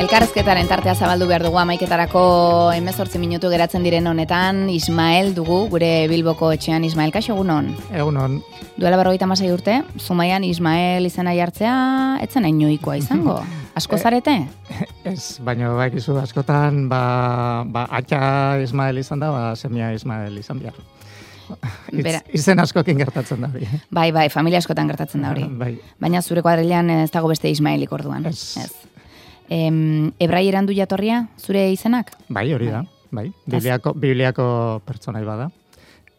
Elkarrezketaren tartea zabaldu behar dugu 11:00 18 minutu geratzen diren honetan. Ismael dugu, gure Bilboko etxean. Ismael, kaixo, egunon? Egunon. Duela 56 urte, Zumaian Ismael izena jartzea, etzen inoikoa izango. Asko zarete? Ez, baina baikizu askotan, atxa Ismael izan da, semia Ismael izan behar. Izen askokin gertatzen da hori. Bai, familia askotan gertatzen da hori. Bai. Baina zure kuadrilean ez dago beste Ismaelik orduan. Ez. Ebraieran du jatorria, zure izenak? Bai, hori da. Bai. Bibliako pertsonai bada.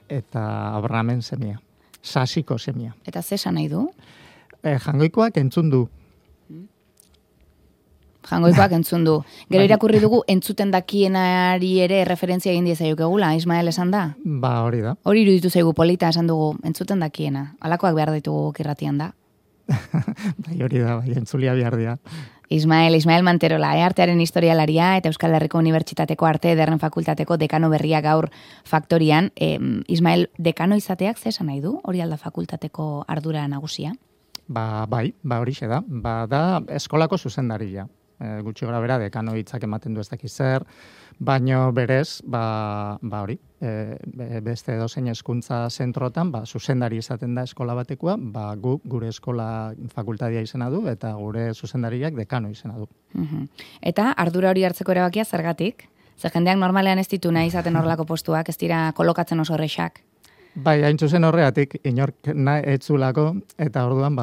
Eta Abrahamen semia. Sasiko semia. Eta ze esan nahi du? Jangoikoak entzun du. Jangoikoak entzun du. Gero irakurri dugu entzuten dakienari ere referentzia egin diezaiokegula, Ismael esan da? Ba, hori da. Hori iruditu zaigu polita esan dugu, entzuten dakiena. Halakoak behar ditugu kirratian da. Bai, hori da, bai, entzulia behar dira. Ismael Manterola, artearen historialaria eta Euskal Herriko Unibertsitateko Arte Ederren Fakultateko dekano berria gaur faktorian. Ismael, dekano izateak ze esan nahi du? Hori alda fakultateko ardura nagusia? Bai, horixe da. Da eskolako zuzendaria. Gutxi gora bera, dekano hitzak ematen du ez dakiz zer, baino berez, hori, beste edozein hezkuntza zentrotan, zuzendari izaten da eskola batekoa, gure eskola fakultatea izena du, eta gure zuzendariak dekano izena du. Eta ardura hori hartzeko erabakia zergatik? Zer jendeak normalean ez ditu nahi izaten horrelako postuak, ez dira kolokatzen oso horrexak? Bai, hain zuzen horregatik, inork etzulako, eta orduan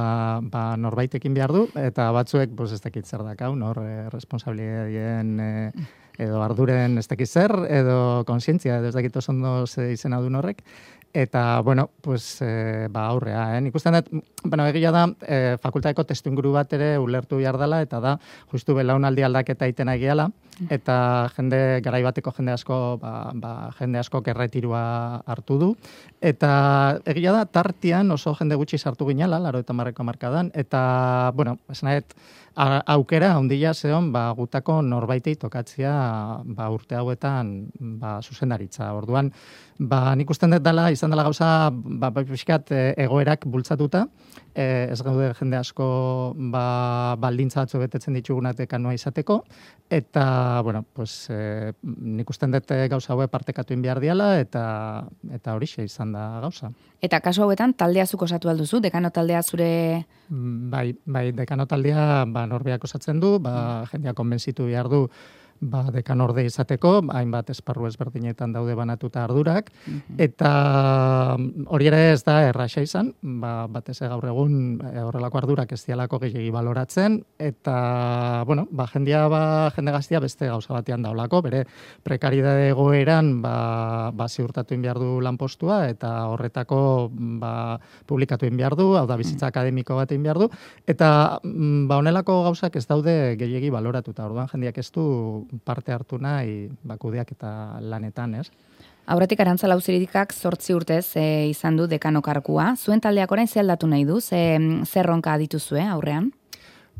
norbaitekin behar du, eta batzuek, ez dakit zer dakau, responsabilidadien edo arduren ez dakit zer, edo konsientzia, edo ez dakit oso ondo izena du horrek, eta, aurrea, Nik ustean dut, egia da, fakultateko testuinguru bat ere ulertu behar dela, eta da, justu belaunaldi aldaketa iten egiala, eta garaibateko jende asko, jende asko erretirua hartu du, eta egia da, tartian oso jende gutxi sartu ginala, 80 markadan, eta, esanet, aukera handia zeon, gutako norbaitei tokatzea urte hauetan zuzendaritza. Orduan, nik usten dut dela, izan dela gauza, pixkat egoerak bultzatuta, ez gaude jende asko baldintza batzu betetzen ditugunat dekanoa izateko, eta, nik usten dut gauza haue partekatu behar diala, eta horixe izan da gauza. Eta kasu hauetan, taldea zuk osatu alduzu, dekano taldea zure... Bai, dekano taldea norbeak osatzen du, jendea konbentzitu behar du dekanorde izateko, hainbat esparru ezberdinetan daude banatuta ardurak, eta hori ere ez da erraxa izan, batez gaur egun horrelako ardurak ez dialako gehiagi baloratzen, eta, jende gaztia beste gauza batean daulako, bere prekaridade egoeran ziurtatu behar du lanpostua, eta horretako publikatu behar du, hau da bizitza akademiko bat behar du, eta honelako gauzak ez daude gehiagi baloratuta, orduan jendeak ez du parte hartu nahi kudeak eta lanetan, ez? Aurretik Arantza Lauziridikak 8 urtez izan du dekano kargua. Zuen taldeak orain ze aldatu nahi du? Zer ronka dituzue aurrean?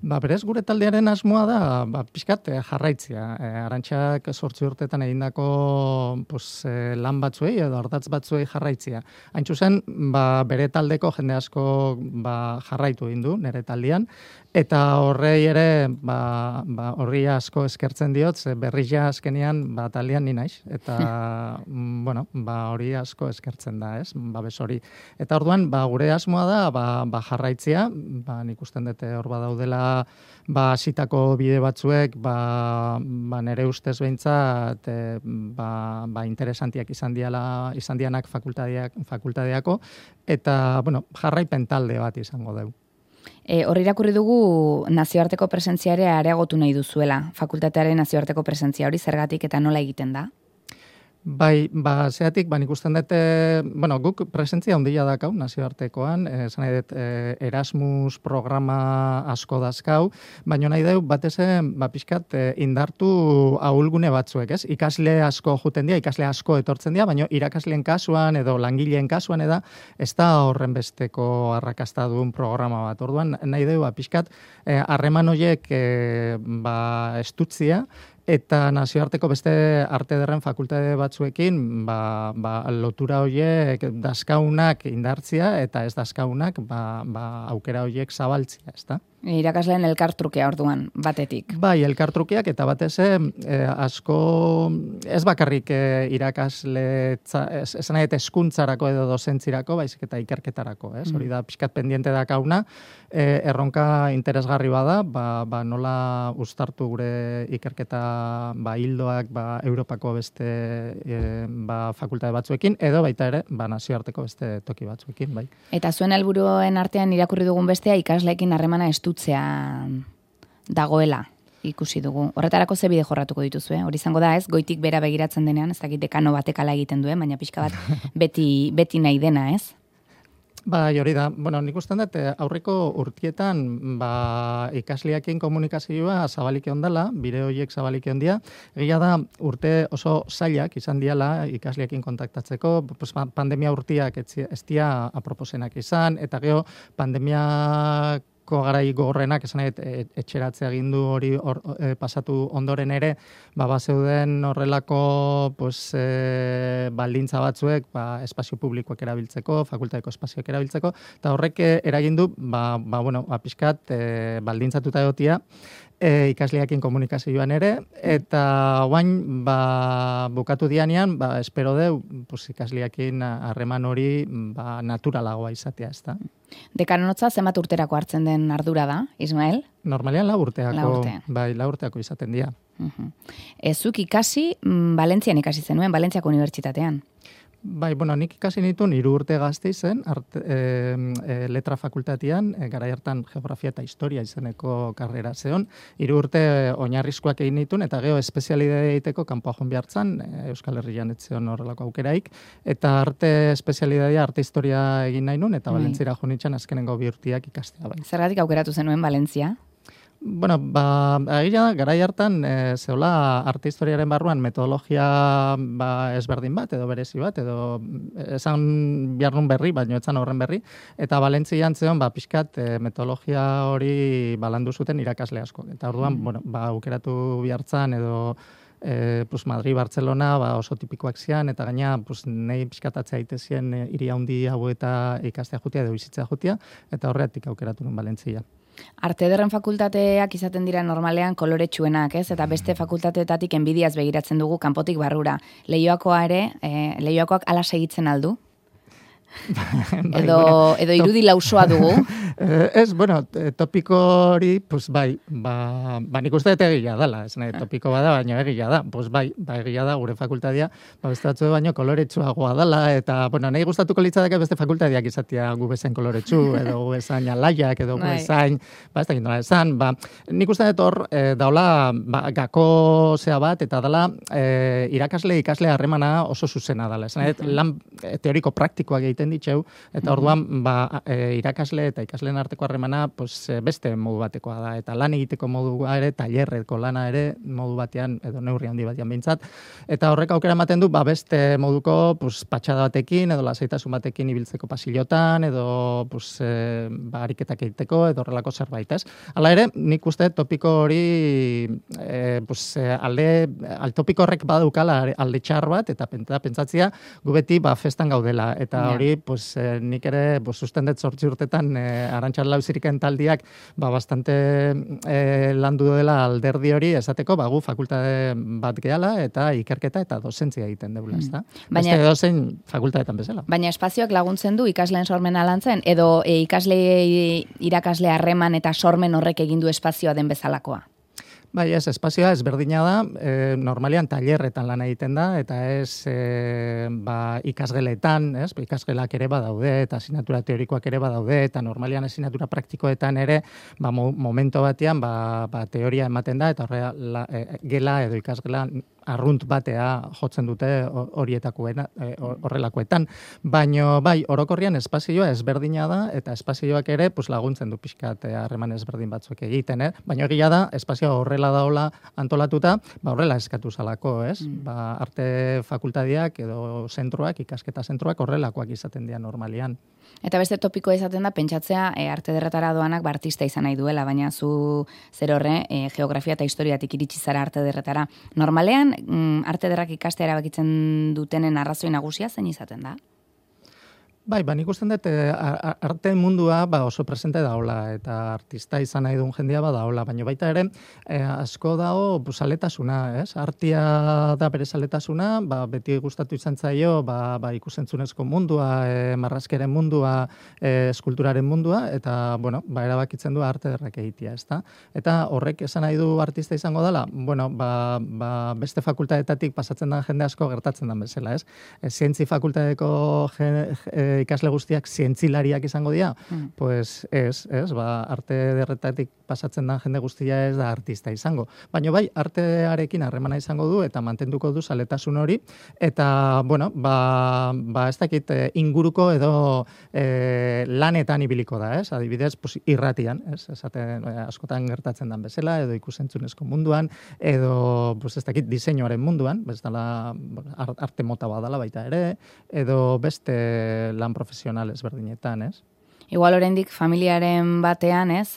Berez, gure taldearen asmoa da, pixkat jarraitzea. Arantxak 8 urtetan egindako lan batzuei edo ardatz batzuei jarraitzea. Hain zuzen, bere taldeko jende asko jarraitu egin du, nire taldean, eta horrei ere, horri asko eskertzen diot, berriz ja azkenean taldean ni naiz, eta, hori asko eskertzen da, ez, babes hori. Eta orduan, gure asmoa da, jarraitzea, nik usten dute hor badaudela, hasitako bide batzuek, nere ustez behintzat, interesantiak izan dianak fakultadeako, eta, jarraipen talde bat izango dugu. Hor irakurri dugu nazioarteko presentzia ere areagotu nahi duzuela, fakultatearen nazioarteko presentzia hori zergatik eta nola egiten da? Bai, zeatik, nik usten dut, guk presentzia handia dakau nazioartekoan, esan nahi dut Erasmus programa asko dazkau, baina nahi dut batez pixkat indartu ahulgune batzuek, ez? Ikasle asko juten dira, ikasle asko etortzen dira, baina irakasleen kasuan edo langileen kasuan ez da horren besteko arrakasta duen programa bat. Orduan, nahi dut pixkat harreman horiek estutzia, eta nazioarteko beste arte ederren fakultate batzuekin lotura horiek dazkaunak indartzia eta ez dazkaunak aukera horiek zabaltzia, ezta? Irakasleen elkartrukea orduan, batetik. Bai, elkartrukeak eta batez asko ez bakarrik irakasle esan nahi hezkuntzarako edo dozentzirako, baizik eta ikerketarako, ez? Hori da pixkat pendiente da kauna, erronka interesgarri bada, nola uztartu gure ikerketa hildoak Europako beste fakultate batzuekin, edo baita ere nazioarteko beste toki batzuekin, bai. Eta zuen helburuen artean irakurri dugun bestea ikasleekin harremana estutzea dagoela ikusi dugu. Horretarako ze bide jorratuko dituzue? Hori izango da, ez? Goitik bera begiratzen denean, ez dakit dekano batek ala egiten duen, baina pixka bat beti nahi dena, ez? Bai, hori da. Bueno, nik ustean dut, aurreko urtietan ikasleekin komunikazioa zabalik ondala, bide horiek zabalik ondia. Egia da, urte oso zailak izan diala ikasleekin kontaktatzeko, pandemia urtiak ez dia aproposenak izan, eta gero pandemiako garai gogorrenak, esan etxeratzea gindu hori pasatu ondoren ere, bazeuden horrelako baldintza batzuek espazio publikoak erabiltzeko, fakultateko espazioak erabiltzeko, eta horrek eragindu, pixkat baldintzatuta egotia, ikasleekin komunikazioan ere, eta guain bukatu dianean, espero deu, ikasleekin harreman hori naturalagoa izatea, ez da. Dekanonotza zenbat urterako hartzen den ardura da, Ismael? Normalean 4 urteako, bai, 4 urteako izaten dira. Zuk ikasi, Valentzian ikasi zenuen, Valentziako unibertsitatean. Bai, nik ikasi nituen 3 urte Gasteizen, letra fakultatian, garai hartan geografia eta historia izeneko karrera zeon, 3 urte oinarrizkoak egin nituen, eta gero espezialidade egiteko kanpoa joan behartzan, Euskal Herrian etzeon horrelako aukeraik, eta arte espezialidadea, arte historia egin nahi nun, eta Valentzira joan nintzen azkenengo 2 urteak ikastea. Bai. Zergatik aukeratu zenuen Valentzia? Bueno, egia da, garai hartan, zeola arte historiaren barruan metodologia ezberdin bat, edo berezi bat, edo esan biharnun berri, baina etzan horren berri, eta Valentzian zeon, pixkat metodologia hori balandu zuten irakasle asko. Eta orduan, aukeratu bihartzan, edo Madrid, Barcelona, oso tipikoak zian, eta gaina, nahi pixkatatzea itezien hiri handi hau eta ikastea jutia, edo bizitzea jutia, eta horretik aukeratu nun Valentzia. Arte ederren fakultateak izaten dira normalean koloretsuenak, ez? Eta beste fakultateetatik enbidiaz begiratzen dugu kanpotik barrura. Leioakoak ala segitzen aldu? Edo irudi lausoa dugu? Ez, topiko hori, nik uste dut egia dela, ez nahi, topiko bada, baina egia da, egia da, gure fakultatea, bestatzu baino koloretsuagoa dela, eta, nahi gustatuko litzateke beste fakultateak izatea gu bezain koloretsu, edo gu bezain alaiak, edo gu bezain, ez da gindola esan, nik uste dut hor, daula, gako zea bat, eta dela, ikasle harremana oso zuzena dela, ez nahi, lan teoriko praktikoak egiten ditxeu, eta orduan irakasle eta ikasleen arteko harremana beste modu batekoa da, eta lan egiteko modua ere, tailerreko lana ere modu batean, edo neurri handi batean behintzat, eta horrek aukera ematen du, beste moduko patxada batekin, edo lasaitasun batekin ibiltzeko pasilotan, edo ariketak egiteko, edo horrelako zerbait, ez? Hala ere, nik uste topiko hori, topiko horrek badukala alde txar bat, eta pentsatzia, gu beti festan gaudela, eta hori, nik ere susten dut 8 urtetan Arantxa Lauziriken taldiak bastante landu dela alderdi hori esateko gu fakultate bat gehala eta ikerketa eta dozentzia egiten deula, ezta? Beste dozen fakultatetan bezala. Baina espazioak laguntzen du ikasleen sormena lantzen edo irakasle harreman eta sormen horrek egin du espazioa den bezalakoa? Bai, ez, espazioa ezberdina da, normalean tailerretan lan egiten da, eta ez ikasgeletan, ikasgelak ere badaude, eta asignatura teorikoak ere badaude, eta normalean asignatura praktikoetan ere, momento batean, teoria ematen da, eta gela edo ikasgela arrunt batea jotzen dute horrelakoetan. Baina, orokorrian espazioa ezberdina da, eta espazioak ere laguntzen du pixkat harreman ezberdin batzuk egiten, baina egia da, espazioa horrela daola antolatuta, horrela eskatu zalako, ez? Arte fakultadiak edo zentroak, ikasketa zentroak horrelakoak izaten dira normalian. Eta beste topikoa izaten da, pentsatzea arte derretara doanak artista izan nahi duela, baina zu zer horre, geografia eta historiatik iritsi zara arte derretara. Normalean, arte derrak ikastea erabakitzen dutenen arrazoi nagusia zein izaten da? Bai, nik usten dut arte mundua oso presente daola eta artista izan nahi duen jendia daola, baina baita ere asko dago zaletasuna, ez? Artia da bere zaletasuna, beti gustatu izan zaio ikusentzunezko mundua, marrazkeren mundua, eskulturaren mundua, eta, bueno, erabakitzen du arte derrak egitea, ezta? Eta horrek esan nahi du artista izango dela, bueno, beste fakultatetatik pasatzen da jende asko gertatzen den bezala, ez? Zientzi fakultateko ikasle guztiak zientzilariak izango dira, pues arte derretatik pasatzen da jende guztia ez da artista izango. Baina bai, artearekin harremana izango du eta mantenduko du zaletasun hori, eta, bueno, ez dakit inguruko edo lanetan ibiliko da, ez? Adibidez, irratian, ez? Esaten askotan gertatzen den bezala, edo ikusentzunezko munduan, edo, ez dakit, diseinuaren munduan, bezala arte mota badala baita ere, edo beste lan profesional ezberdinetan, ez? Igual oraindik familiaren batean, ez,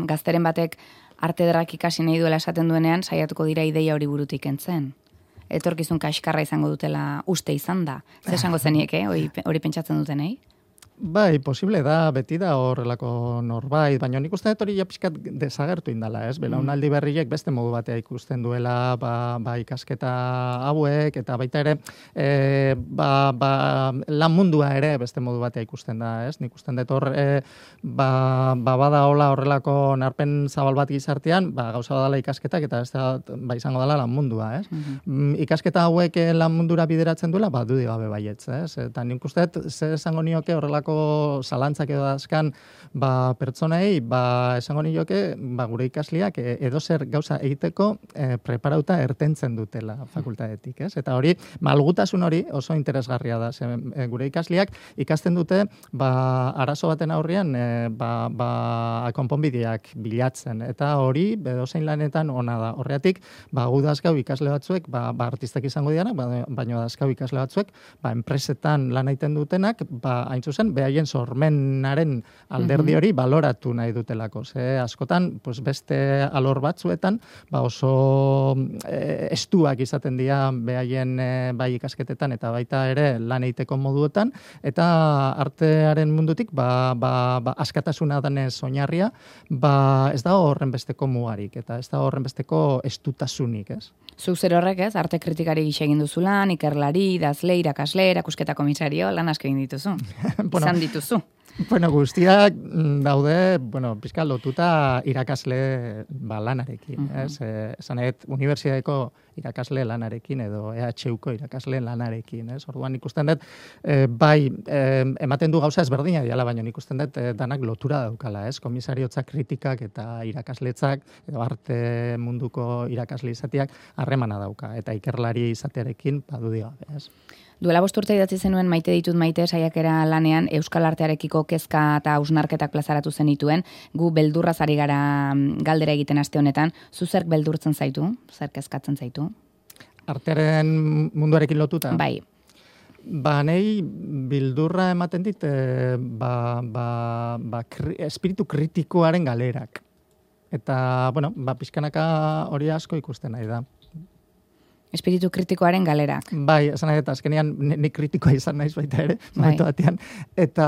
gazteren batek arte derrak ikasi nahi duela esaten duenean, saiatuko dira ideia hori burutik entzen. Etorkizun kaskarra izango dutela uste izan da. Zer esango zenieke, hori pentsatzen dutenei? Bai, posible da, beti da horrelako norbait, baina nik uste dut hori pixkat desagertu indala, ez? Belaunaldi berriek beste modu batea ikusten duela, ikasketa hauek, eta baita ere, lan mundua ere beste modu batea ikusten da, ez? Nik uste dut hor, bada hola horrelako narpen zabal bat gizartean, gauza badala ikasketak, eta ez da, izango dela lan mundua, ez? Ikasketa hauek lan mundura bideratzen duela, dudi gabe baietz, ez? Eta nik uste dut, zer esango nioke horrelako zalantzak edo azkan pertsonei, esango nioke gure ikasliak edozer gauza egiteko preparauta ertentzen dutela fakultatetik, ez? Eta hori, malgutasun hori oso interesgarria da. Gure ikasliak ikasten dute arazo baten aurrean konponbideak bilatzen. Eta hori, edozein lanetan ona da. Horregatik, gu dazkau ikasle batzuek, artistak izango dianak, baina dazkau ikasle batzuek, enpresetan lan egiten dutenak, hain zuzen, behaien sormenaren alderdi hori baloratu nahi dutelako. Askotan, beste alor batzuetan, oso estuak izaten dira behaien bai ikasketetan eta baita ere lan egiteko moduetan, eta artearen mundutik, askatasuna danez oinarria, ez da horren besteko mugarik, eta ez da horren besteko estutasunik, ez? Zuk zer horrek, ez? Arte kritikari gisa egin duzu lan, ikerlari, idazle, irakasle, erakusketa komisario, lan asko egin dituzu. Izan dituzu. Bueno, guztiak daude, pizka lotuta irakasle lanarekin, ez? Esan unibertsitateko irakasle lanarekin edo EHUko irakasle lanarekin, ez? Orduan ikusten dut, ematen du gauza ezberdina diala, baina ikusten dut danak lotura daukala, ez? Komisariotzak kritikak eta irakasletzak edo arte munduko irakasle izateak harremana dauka, eta ikerlari izatearekin badu gabe, ez? Duela 5 urte idatzi zenuen Maite ditut maite saiakera lanean euskal artearekiko kezka eta hausnarketak plazaratu zenituen, gu beldurraz ari gara galdera egiten aste honetan, zu zerk beldurtzen zaitu, zer kezkatzen zaitu? Artearen munduarekin lotuta? Bai. Nei bildurra ematen dit, espiritu kritikoaren galerak. Eta, pixkanaka hori asko ikusten nahi da. Espiritu kritikoaren galerak. Bai, esan nahi, eta azkenean nik kritikoa izan naiz baita ere, momentu batean. Eta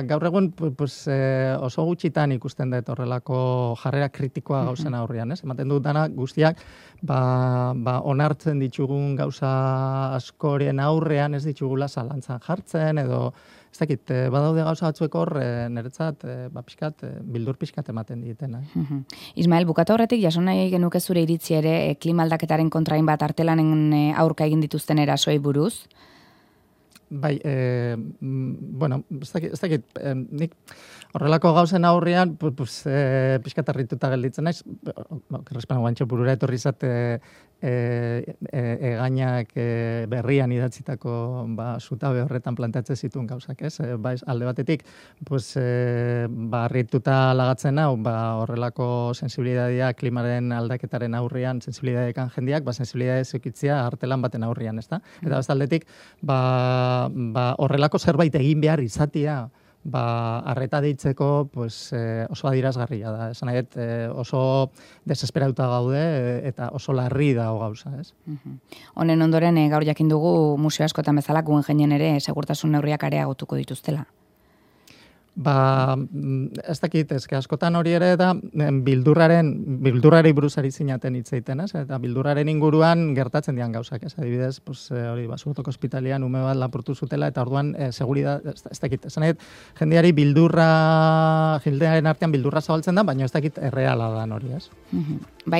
gaur egun oso gutxitan ikusten dut horrelako jarrera kritikoa gauzen aurrean, ez? Ematen dut dana guztiak, onartzen ditugun gauza askoren aurrean ez ditugula zalantzan jartzen, edo ez dakit, badaude gauza batzuek hor, niretzat, bildur pixkat ematen ditena. Ismael, bukatu horretik, jaso nahi genuke zure iritzi ere, klima aldaketaren kontrain bat artelanen aurka egin dituzten erasoi buruz? Bai, ez dakit, nik horrelako gauzen aurrean, pixkat arrituta gelditzen naiz, kerrespan guantxo burura etorri zate egainak berrian idatzitako zutabe horretan planteatzen zituen gauzak, ez? Alde batetik, arrituta lagatzen hau, horrelako sensibilidadea klimaren aldaketaren aurrean, sensibilidadekan jendiak, sensibilidade zeukitzia artelan baten aurrean, ez da? Eta aldetik, horrelako zerbait egin behar izatea, arreta deitzeko oso adirazgarria da. Esan nahi, oso desesperauta gaude eta oso larri dago gauza, ez? Honen ondoren, gaur jakin dugu museo askotan bezala Guggenheimenen ere segurtasun neurriak areagotuko dituztela. Ez dakit, askotan hori ere da bildurrari buruzari zinaten hitz egiten, ez? Eta bildurraren inguruan gertatzen dian gauzak, ez? Adibidez, hori Basurtoko ospitalean ume bat lapurtu zutela eta orduan seguridad, ez dakit, esan nahi, jendeari jendearen artean bildurra zabaltzen da, baina ez dakit erreala da hori, ez?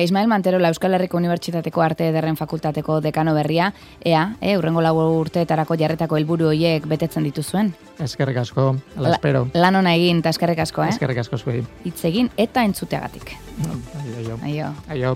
Ismael Manterola Euskal Herriko Unibertsitateko Arte Ederren Fakultateko dekano berria, hurrengo 4 urteetarako jarretako helburu horiek betetzen dituzuen? Eskerrik asko, ala espero. Lan ona egin, eta eskerrik asko, Eskerrik asko zuei. Hitz egin eta entzuteagatik. Aio.